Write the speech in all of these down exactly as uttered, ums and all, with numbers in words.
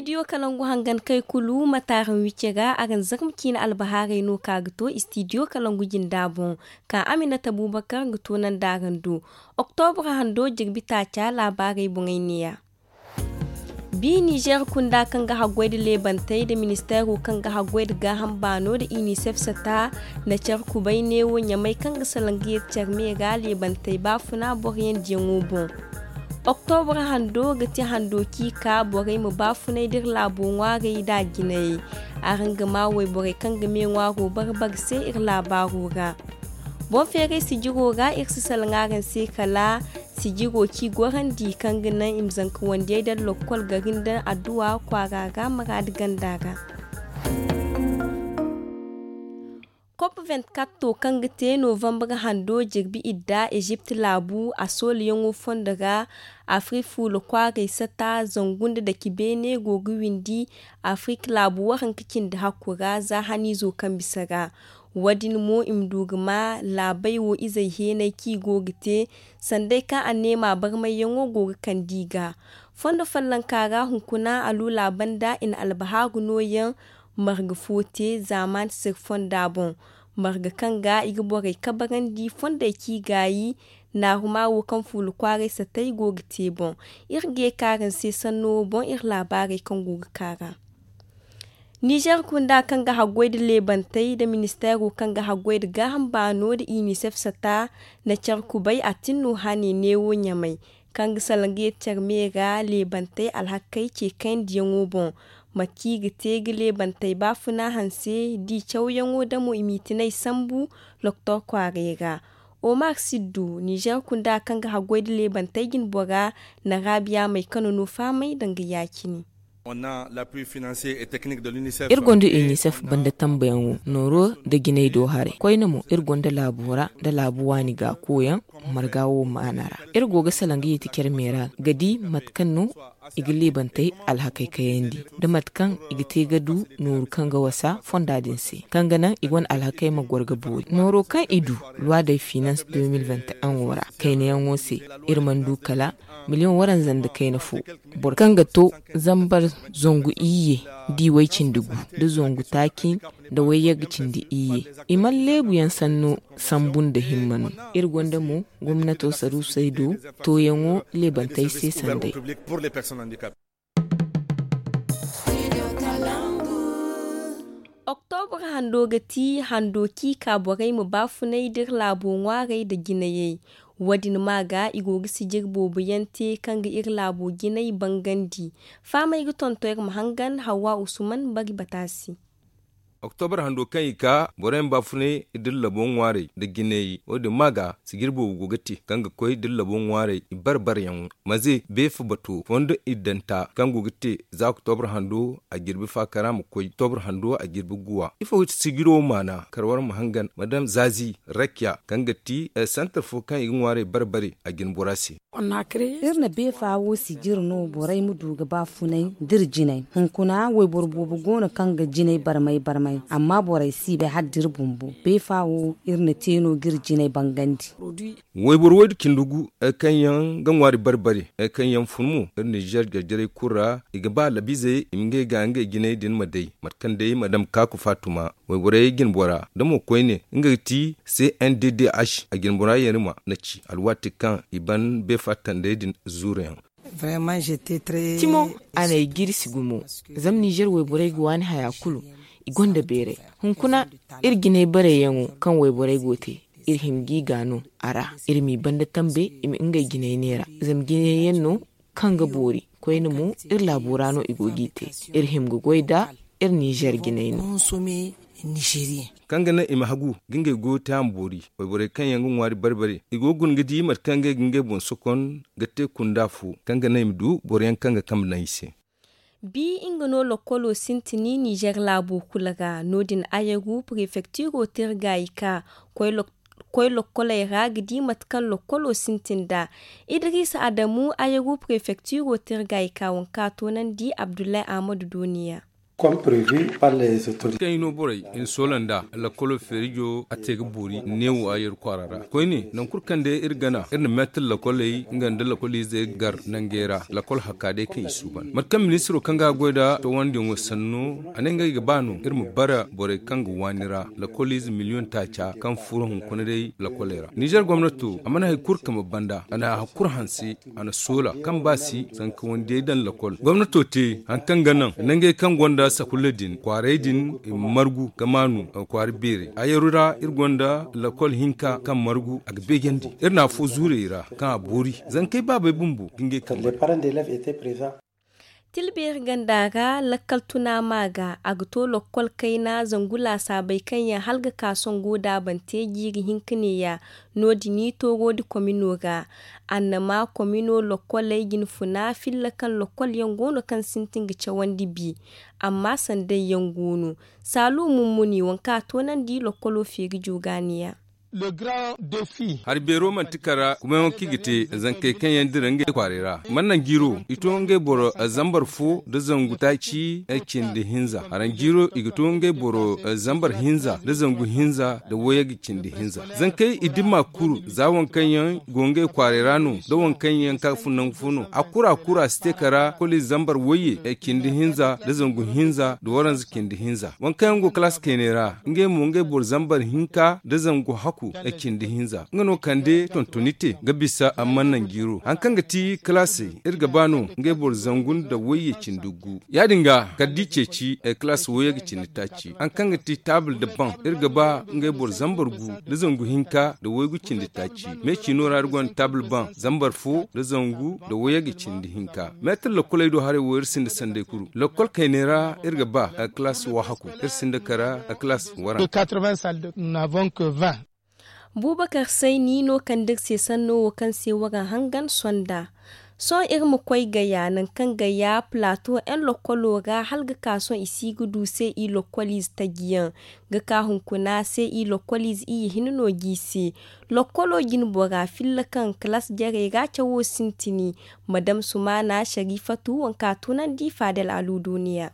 Istidiyo kalangu hangan kay kulu mate araŋ wicce ga araŋ zarma ciine albahaarey no ka ga to istidiyo kalangu jinda boŋ, ka aminata buubakar ga toonandi araŋ do. Oktobra hando jirbi taaca laabaarey boŋey neeya. Bi nizer kunda kaŋ ga haggoy nda leebantey nda ministeero kaŋ ga haggoy nda gaaham baano nda inisef sata na care kubay neewo ɲamay kaŋ ga salaŋ ga yeeti care me ra leebantey baafuna boro yandiyaŋo boŋ. Oktobra hando ga ti hando kaŋ i ka borey ma baafunay nda iri laabo ŋwaarey nda a jinayey. Araŋ ga maa wayborey kaŋ ga me ŋwaaro bare bare se iri laabaaro ra. Boŋ feeray sijiro ra iri si salaŋ araŋ se kala sijiro kaŋ i gorandi kaŋ ga naŋ i ma zanka wandiyey daŋ lokkol gari nda adduwa kwaara ra maraadi ganda ra. Kop venti katto kaŋ ga te novambar hando jirbi idda ezipt laabu a soolayaŋo fondo ra. Afrik fuula kwaaray sata zangu nda dake beene go ga windi afrik laabu waranka cindi hakku ra za haniizo kaŋ bisa ra. Wo- din mo i ma du ga ma laabey wo izey heenay kaŋ i go ga te sanday kaŋ anneema barmayyaŋo go ga kande i ga. Fondo follonka ra hunkuna aluula banda i na albahaaru nooyaŋ marga fo te zaamaani sirri fonda boŋ. Marga kaŋ ga i ga borey kabarandi fondey kaŋ i gaayi naaruma wo kaŋ fuula kwaaray satay go ga te boŋ. Iri ga ye ka araŋ se sanno wo boŋ iri laabaarey kaŋ go ga ka ra. Nizer kunda kaŋ ga haggoy nda leebantey nda ministeero kaŋ ga haggoy nda gaaham baano nda inisef sata na care kubay a tin no hane neewo ɲamay kaŋ ga salaŋ ga yeeti care me ra leebantey alhakey ce kayandiyaŋo boŋ. Mate kaŋ i ga te ga leebantey baafuna hanse da i cawyaŋo damo i m'i tinay sambu loktor kwaaray ra. Omar siddu nizer kunda kaŋ ga haggoy nda leebantey jinbora na raabiya may kano no fahamay danga ya-cine. Iri gonda inisef banda tambayaŋo nooro nda jinay do haray koyne mo iri gonda laabo ra nda laabu waani ga koyaŋ marga wo maana ra. Iri go ga salaŋ ga yeeti care me ra ga di mate kaŋ no i ga leebantey alhakey kayandi nda mate kaŋ i ga te ga du nooru kaŋ ga wasa fonda din se kaŋ ga naŋ i gonda alhakey ma goro ga boori nooro kaŋ i du luwa day finans de mil venti en wo ra kaynayaŋo se. Iri mana du kala miliyoŋ waranza nda kayna fo boro kaŋ ga to zambar zangu iyye da i way cindi gu nda zangu taaci nda wayyagga cindi iyye. I mana leebu yaŋ sanno sambu nda himma no. Iri gonda mo gomnato saruusey do tooyaŋo leebantey se sanday. Oktobra hando ga ti hando kaŋ i ka borey ma baafunay da iri laabo ŋwaarey nda jinayey. Wo- din ma ga i go ga sijir boobo yaŋ te kaŋ ga iri laabo jinay bangandi. Fahamey ga tonton iri ma hangan hawa usman bari bata se. Oktobra hando kaŋ i ka borey ma baafunay da iri labo ŋwaarey nda jinay wo- din ma ga sijir boobo go ga te kaŋ ga koy da iri labo ŋwaarey i bare bare yaŋo. Maze beefa bato fondo iddanta kaŋ go ga te za oktobra hando a jirbi faakara ma koy oktobra hando a jirbi guwa ifo ga ti sijiro maana kar war ma hangan madam zazi rakiya kaŋ ga ti santar fo kaŋ i ga ŋwaarey bare bare a jinbora se. Iri na beefa wo sijir no borey ma du ga baafunay da iri jinay. Hunkuna wayboro boobo go no kaŋ ga jinay barmay barmay amma borey si bay hala da iri bumbo beefa wo iri na te no ga iri jinay bangandi. Wayboro waydu cindi gu kaŋ yaŋ ga ŋwaari bari bari kaŋ yaŋ fun mo iri ninzeer jarjarey kulu ra i ga ba labizey i ma ngey ga ngey jinay din ma day mate kaŋ day madam kaaku faatuma wayborey jinbora da mo koyne nga ga ti c n d d h a jinbora yarima na ci alwaati kaŋ i ban beefa tandey din zuuru yaŋ. Cimo a n'ay jirsi gumo. Zama ninzeer wayborey ga waani haya kulu i gonda beeray. Hunkuna iri jinay barayyaŋo kaŋ wayborey go te iri hima g'i gaano a ra. Iri m'i banda tambe i ma ngey jinay neera zama jinayyaŋ no kaŋ ga boori koyne mo iri laabo ra no i go g'i te. Iri hima ga goy nd'a iri ninzeer jinay no. Kaŋ ga naŋ i ma hagu ga ngey goyo te a ma boori. Wayborey kaŋ yaŋ ga ŋwaari bari bari i go ga guna ga di mate kaŋ ngey ga ngey boŋ sokon ga te kunda fo kaŋ ga naŋ i ma du boro yaŋ kaŋ ga kambe naŋ i se. Bi nga no lokkolo sintin ninzeer laabo kulu ra no- din ayaru prefektiro te iri gaayi ka koy lokkoley ra ga di mate kaŋ lokkolo sintin nd'a. Idiriisa adamu ayaru prefektiro te iri gaayi ka waŋ kaŋ a toonandi abdullahi ahmadu dooniya. Kaŋ i no borey i na soola nd'a, lakkolo feerijo a te ga boori neewo a yeru kwaara ra. Koyne nangu kulu kaŋ day iri gana iri na meetir lakkoley nga nda lakkoliizey gar nangey ra, lakkol hakka day kaŋ i suuban mate kaŋ ministiro kaŋ ga a goy nd'a towandiyaŋo sanno, a ne ngey ga ba no iri ma bara borey kaŋ ga waani ra, lakkoliize miliyoŋ taaca kaŋ furo hunkuna day lakkoley ra. Nizer gomnato a mana hari kulu kama banda, a na hari kulu hanse, a na soola kaŋ ba si zanka wandiyey daŋ lakkol gomnato te hari kaŋ ga naŋ nangey kaŋ gonda sakulla din kwaarey din i ma margu ga maanu kwaara beerey a yeru ra iri gonda lakkol hinka kaŋ margu a ga beejandi. Iri na afo zuurey ra kaŋ a boori zankey baabey bumbo ga ngey kaŋ tilbeeri ganda ra lakkal tuna ma ga a ga to lakkol kayna zangu laasaabey kaŋ yaŋ hala ga ka songo da a ban te jiiri hinka neeya. No- din i tooro nda komino ra annama komino lokkoley jinfuna filla kaŋ lokkol yaŋ go no kaŋ sintin ga cawandi bi. Amma sanday yaŋ go no saalu mummuni waŋ kaŋ a toonandi lokkolo feeri joogaaniya. Hari beero manti kara kumayaŋo kaŋ i ga te zankey kaŋ yaŋ dira ngey kwaaray ra mannan jiiro i to ngey boro zambar fo nda zangu taaci cindi hinza haranjiiro i ga to ngey boro zambar hinza nda zangu hinza nda wayey ga cindi hinza. Zankey i dimma kuru za waŋ kaŋ yaŋ go ngey kwaaray ra no nda waŋ kaŋ yaŋ ka fun nangu fo no a kura kura si te kara koli zambar wayye cindi hinza nda zangu hinza nda waranza cindi hinza waŋ kaŋ yaŋ go kalaas kayne ra ngey mo ngey boro zambar hinka nda zangu haku cindi hinza nga no kande tontoni te ga bisa amma nanjiiro hari kaŋ ga ti kalaasey iri ga ba no ngey boro zangu nda wayye cindi gu ya- din ga kala da i ceeci kalaas wayye ga cindi taaci hari kaŋ ga ti taabul nda baŋ iri ga ba ngey boro zambar gu nda zangu hinka nda waygu cindi taaci. Me ciino ra iri gonda taabul baŋ zambar fo nda zangu nda wayye ga cindi hinka meetir lokkoley do haray wo iri sinda sanday kuru lokkol kayney ra iri ga ba kalaas wahakku iri sinda kara kalaas waranka. Buubakar sayni no kande iri se sanno wo kaŋ se waraŋ hangan sonda. Sohõ iri ma koy gaya nangu kaŋ gaya plato yaŋ lokkolo ra hala ga ka sohõ i si ga du se i lokkoliize taji yaŋ ga ka hunkuna se i lokkoliize iyye hinne no g'i se. Lokkolo jinbora filla kaŋ kalaas jarey ra cawo sintini madam sumaana sharifatu waŋ kaŋ a tunandi faadel aluuduuniya.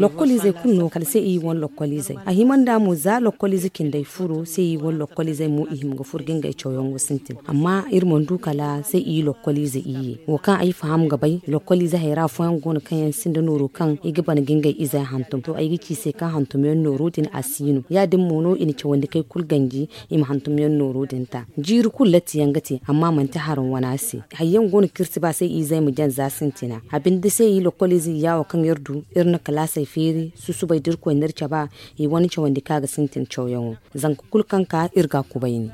Lokkoliizey kulu no kala se i wane lokkoliizey a hima nd'a mo za lokkoliize cindey furo se i wane lokkoliizey mo i hima ga furo ga ngey cawyaŋo sintin amma iri mana du kala se i lokkoliize iyye wo kaŋ ay faham ga bay lokkoliize hayra fooyaŋ go no kaŋ yaŋ sinda nooro kaŋ i ga ban ga ngey izey hantum to ay ga ci i se kaŋ hantumyaŋ nooro din a si no ya- din mo no i na cawandi kay kulu ganji i ma hantumyaŋ nooro din ta. Jiiri kulu latti yaŋ ga te amma manti haraŋ wana se. Hari yaŋ go no kaŋ iri si ba se i izey ma jaŋ za sintina a binde se i lokkoliize iyya wo kaŋ iri du iri na kalaasey feeri susubay da iri koy n'iri caba i wane cawandi kaŋ a ga sintin cawyaŋo. Zanka kulu kaŋ ka iri ga a kubayni.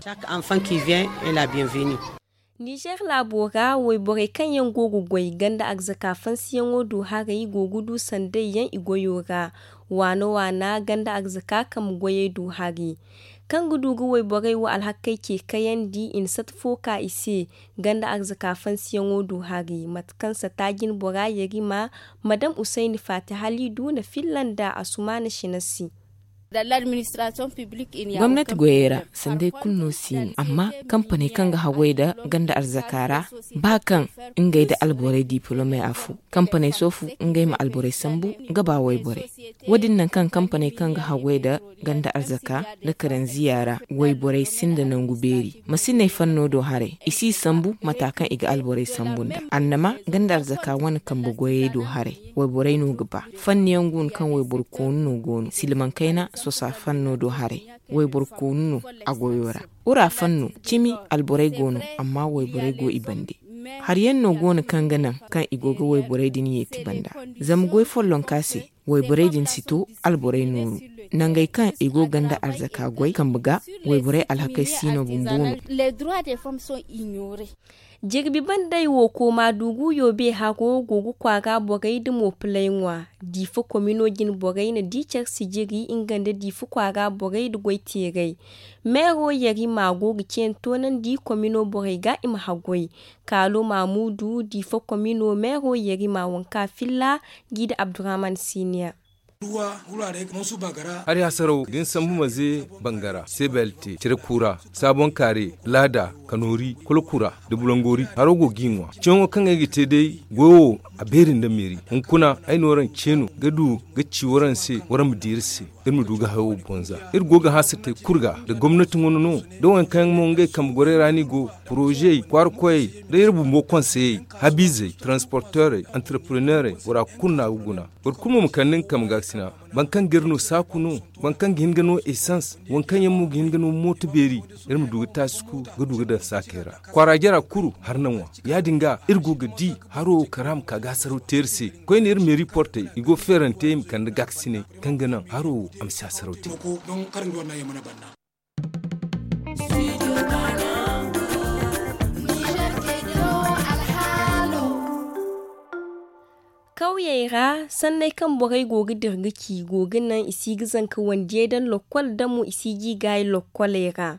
Nizer laabo ra wayborey kaŋ yaŋ go ga goy ganda arzaka fansiyaŋo du haray go ga du sanday yaŋ i goyo ra waana waana ganda arzaka kambe goyey du hari kaŋ ga du ga wayborey wo alhakey ce kayandi i na sata fo ka i se. Ganda arzaka fansiyaŋo du hari mate kaŋ sata jinbora yarima madam usayni faati haliidu na filla nda asumaana sina se. Gomnati goyey ra sanday kulu no si no amma kampaney kaŋ ga haggoy nda ganda arzaka ra ba kaŋ ngey nda alborey dipolomey afo kampaney soofu ngey ma alborey sambu ga ba wayborey. Wo- din nangu kaŋ kampaney kaŋ ga haggoy nda ganda arzaka nda karanziya ra wayborey sinda nangu beeri ma si ne fanno do haray i si sambu mata kaŋ i ga alborey sambu nda annama ganda arzaka wane kambe goyey do haray wayborey no ga ba. Fanni yaŋ go no kaŋ wayboro koonu no go no silmaŋ kayna sosa fanno do haray wayboro koonu no a goyo ra. Wura fanno cimi alborey go no amma wayborey go i bande. Hari yaŋ no go no kaŋ ga naŋ kaŋ i go ga wayborey din yeeti banda zama goy follonka se wayborey din si to alborey nooru nangey kaŋ i go ganda arzaka goy kambe ga wayborey alhakey si no bumbo no. Jirbi bandey wo kooma dugu yoobe haro go ga kwaara borey nda moopiley ŋwa. Diifa komino jinborey na di care sijiri nga nda diifa kwaara borey nda goyteerey. Meero yarima go ga ceene toonandi komino borey ga i ma haggoy. Kaalo maamuudu diifa komino meero yarima waŋ kaŋ a filla. G'i nda abdurahman siiniya. Hari hasaraw da ni sambu maze bangara sebelte cire kuura sabon kaare laada kanoori kolokura da bulangori haro go ga i ŋwa ceeyaŋo kaŋ ay ga te day goyo wo a beeri nda meeri hunkuna ay no waraŋ ceeno ga du ga ci waraŋ se waraŋ ma di iri se iri ma du ga hayo wo bonza iri go ga hã satey kulu ga da gomnati ŋuna no da waŋ kaŋ yaŋ mo ngey kambe gorey ra no i go poroze kwaara koyey da iri bumbo konseyey habiizey taransporteerey antarpreneerey bora kulu no a ga guna boro kulu mo ma kande nga kambe gaasina boro kaŋ ga iri no saaku no boro kaŋ ga hin ga no esans waŋ kaŋ yaŋ mo ga hin ga no mooto beeri iri ma du ga taasi ku ga du ga daŋ saakey ra kwaara jara kulu har na ŋwa ya- din ga iri go ga di haro wo kara ma ka ga hasaraw te iri se koyne iri meeri portey i go feerante i ma kande gaakasiney kaŋ ga naŋ haro wo a ma si hasaraw te. Kawyey ra sanney kaŋ borey go ga dira ga ci go ga naŋ i si ga zanka wandiyey daŋ lokkol da mo i si ga i gaayi lokkoley ra.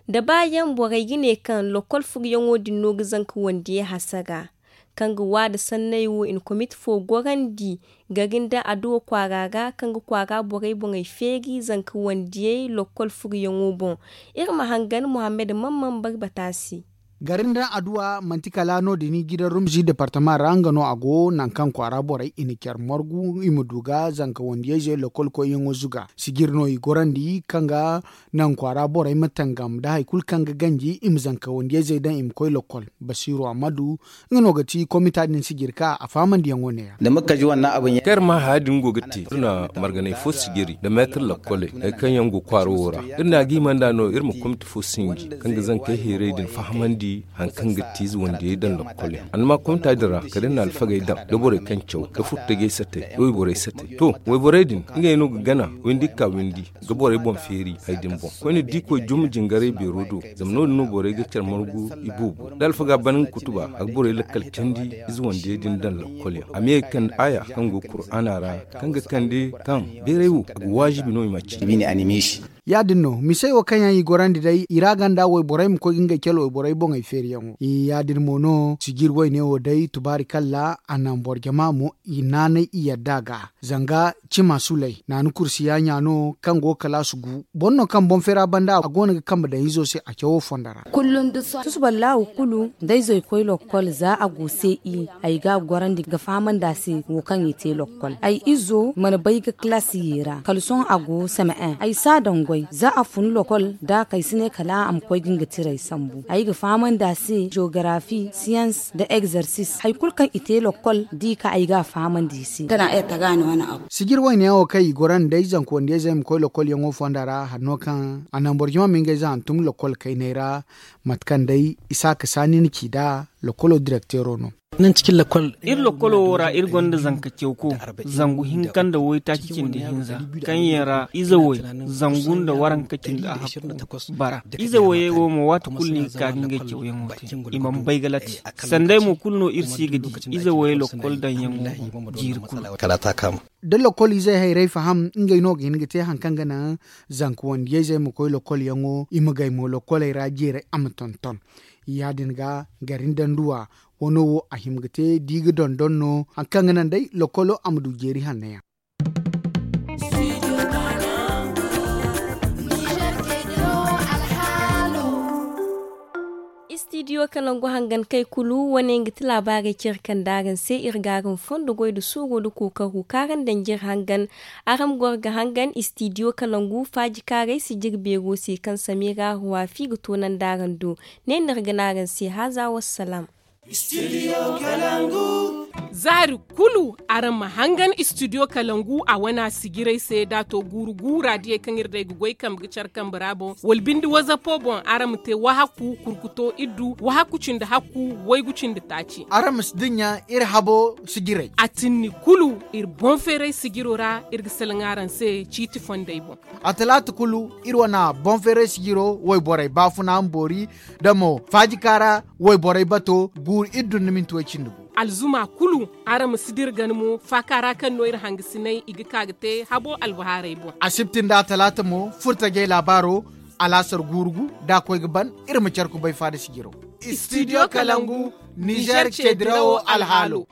Da ba yaŋ borey ga ne kaŋ lokkol furuyaŋo din no ga zanka wandiyey hasara kaŋ ga waada sanney wo i na komite fo gorandi gari nda aduwa kwaara ra kaŋ ga kwaara borey boŋey feeri zanka wandiyey lokkol furuyaŋo boŋ. Iri ma hangan muhammad mamman barbata se. Gari nda aduwa manti kala no- din gidan rumzi departama ra nga no a go nangu kaŋ kwaara borey i na care margu i ma du ga zanka wandiyey ze lokkol koyyaŋo zuga sijir no i gorandi kaŋ ga nangu kwaara borey ma tangam nda hari kulu kaŋ ga ganji i ma zanka wandiyey ze daŋ i ma koy lokkol. Basiiru ammadu nga no ga ti komita din sijiri ka a fahamandiyaŋo ne- ya. Kaŋ iri ma haya din go ga te iri na marganay fo sijiri nda meetir lakkoley hari kaŋ yaŋ go kwaaro wo ra iri na a ga hima nd'a no iri ma komita fo sinji kaŋ ga zankey heeray din fahamandi hari kaŋ ga te ize wandiyey daŋ lakkol yaŋ annama komita din ra kala iri na alfagey daŋ da borey kaŋ caw da furtajey satey da wayborey satey to wayborey din ngey no ga gana windi ga ka windi ga borey boŋ feeri hari din boŋ koyne da i koy juma jingaray beero do zama no- din no borey ga care margu i boobo da alfaga ban nga kutuba a ga borey lakkal candi ize wandiyey din daŋ lakkol yaŋ a ma ye ga kande aaya kaŋ go kur'aana ra kaŋ ga kande kaŋ beeray wo a ga waajibi no i ma a ci. Ya- din no misey wo kaŋ yaŋ i gorandi day i ra ganda wayborey ma koy ga ngey care wayborey boŋey feeriyaŋo ya- din mo no sijir wayne wo day tubaari kalla a naŋ boro jama mo i naanay i yadda ga zanga cima suley naani kursiya ɲa no kaŋ go ga kalaasu gu boro no kaŋ boŋ feera banda a go no ga kambe daŋ izo se a cawo fondo ra. Tusu ballaawo kulu da izo i koy lokkol za a go se i ay ga a gorandi ga fahamandi a se wo kaŋ i te lokkol ay izo mana bay ga kalaasi ye ra kala sohõ a go seme en ay si a daŋ goy za a fun lokkol da kay si ne kala a ma koy ga nga tiray sambu ay ga fahamandi a se jogarafi siyans nda egzarsis hari kulu kaŋ i te lokkol da i ka ay ga a fahamandi i se. Sijir wayne yaŋ wo kaŋ i goro nda day zanka wandiyayzey ma koy lokkol yaŋo fonda ra hari no kaŋ a naŋ boro jama ma ngey za hantum lokkol kayney ra. Mate kaŋ day isaaka saani na ci nd'a lokkolo direkteero no. Iri lokkolo wo ra iri gonda zanka cawko zangu hinka nda waytaaci cindi hinza kaŋ yaŋ ra ize way zangu nda waranka cindi a hakku bara ize wayey wo mo waati kulu no i ga ka ga ngey cawyaŋo te i mana bay ga lati sanday mo kulu no iri si ga di ize wayey lokkol daŋyaŋo jiiri kulu. Da lokkol izey hayray faham ngey no ga hin ga te hari kaŋ ga naŋ zanka wandiyayzey ma koy lokkolyaŋo i ma gay mo lokkoley ra jeeray a ma tonton. Ya- din ga gari nda nduwa wano wo a hima ga te da i ga dondon no hari kaŋ ga naŋ day lokkolo a ma du jeeri hanno yaŋ. Istidiyo kalangu hangankey kulu wane nga ti laabaarey care kaŋ da araŋ se iri ga araŋ fondo goy nda suuro nda kookaru kaŋ araŋ daŋ jire hangan. Araŋ ma goro ga hangan istidiyo kalangu faaji kaaray sijiri beero se kaŋ samira ruwafi ga toonandi araŋ do. Ne no iri ga ne araŋ se haaza wassalaam. Za hari kulu araŋ ma hangan istidiyo kalangu a wana sijiray se da a to guuru guura diyey kaŋ iri day ga goy kambe ga care kambe ra boŋ wala bindi wazapo boŋ araŋ ma te wahakku kurkuto iddu wahakku cindi hakku waygu cindi taaci. Araŋ ma si dinya iri habo sijiray a tinni kulu iri boŋ feeray sijiro ra iri ga salaŋ araŋ se ciiti fondey boŋ. A talaata kulu iri wana boŋ feeray sijiro wayborey baafuna ma boori da mo faaji kaara wayborey bato guuru iddu nda minti way cindi gu. Alzuma kulu araŋ ma si dira gana mo faaka ra kaŋ no iri hangasiney i ga ka ga te habo albahaarey boŋ. Asibti nda talaata mo furtajey laabaaro alaasar guuru gu da a koy ga ban iri ma care kubay faada sijiro. Istidiyo kalangu nizer ce dirawo alhaalo.